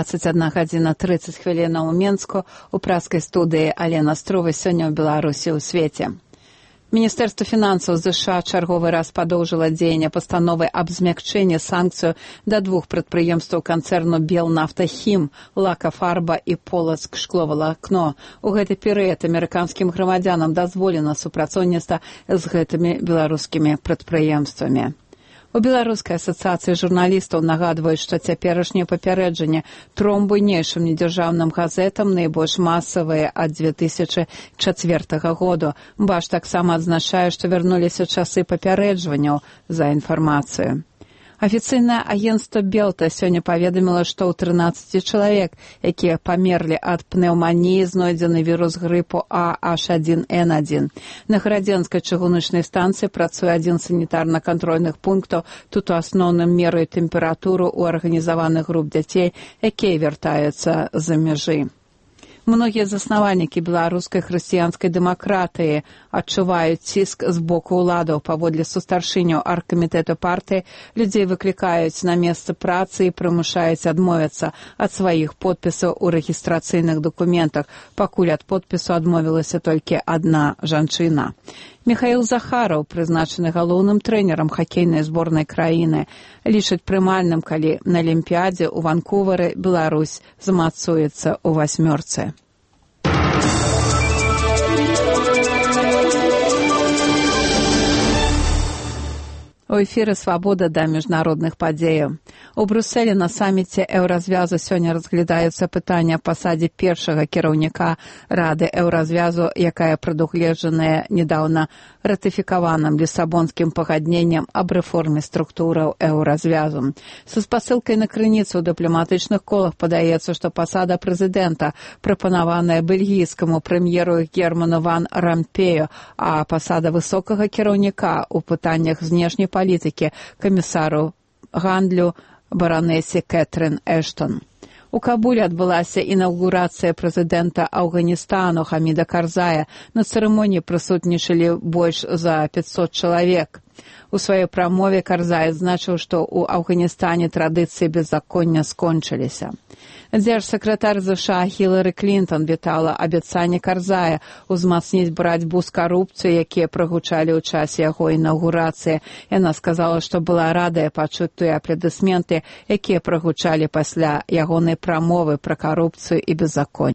21:30 ў Менску у праскай студыі Алена Струва сёння ў Беларусі ў свеце. Міністэрства фінансаў ЗША чарговы раз падоўжыла дзеянне пастановы аб змякчэнні санкцыю да двух прадпрыемстваў канцэрну «Белнафтахім» «Лакафарба» і «Полацк шкловалакно». У гэты перыяд амерыканскім грамадзянам дазволена супрацоўніцтва з гэтымі беларускімі прадпрыемствамі. У Беларускай асацыяцыі журналістаў нагадваюць, што цяперашнія папярэджанні тром буйнейшым недзяржаўным газетам найбольш масавыя ад 2004 году. БАШ таксама адзначае, што вярнуліся часы папярэджванняў за інфармацыю. Афіцыйнае агенцтва Белта сёння паведаміла, што ў 13 чалавек, якія памерлі ад пнеўманіі, знойдзены вірус грыпу AH1N1. На гарадзенскай чыгуначнай станцыі працуе адзін санітарна-кантрольных пунктаў. Тут у асноўным мераюць тэмпературу ў арганізаваных груп дзяцей, якія вяртаюцца з-за мяжы. Многія заснавальнікі беларускай хрысціянскай дэмакратыі адчуваюць ціск з боку ўладаў. Паводле сустаршыняў аргкамітэту партыі, людзей выклікаюць на месцы працы і прымушаюць адмовіцца ад сваіх подпісаў у рэгістрацыйных дакументах. Пакуль ад подпісу адмовілася толькі адна жанчына. Міхаіл Захараў, прызначаны галоўным трэнерам хакейнай зборнай краіны, лічыць прымальным, калі на Алімпіядзе ў Ванкувары Беларусь змацуецца ў васьмёрцы. У эфіры «Свабода» да міжнародных падзеяў. У Брюсселі на саміце Еўразвязу сёння разглядаюцца пытанні аб пасадзе першага кіраўніка Рады Еўразвязу, якая прадугледжаная недаўна ратыфікаваным Лісабонскім пагадненнем аб рэформе структураў Еўразвязу. Са спасылкай на крыніцу ў дыпламатычных колах падаецца, што пасада прэзідэнта прапанаваная бельгійскаму прэм'еру Герману ван Рампею, а пасада высокага кіраўніка ў пытаннях знешняй палітыкі камісару гандлю баранэсе Кэтрын Эштон. У Кабуле адбылася інаўгурацыя прэзідэнта Афганістану Хаміда Карзая. На цырымоніі прысутнічалі больш за 500 чалавек. У сваёй прамове Карзай адзначыў, што ў Афганістане традыцыі беззаконня скончыліся. Дзяржсакратар ЗША Хілары Клінтон вітала абяцанне Карзая ўзмацніць барацьбу з карупцыяй, якія прагучалі ў часе яго інаўгурацыі. Яна сказала, што была радая пачуць тыя апладысменты, якія прагучалі пасля ягонай прамовы пра карупцыю і беззаконне.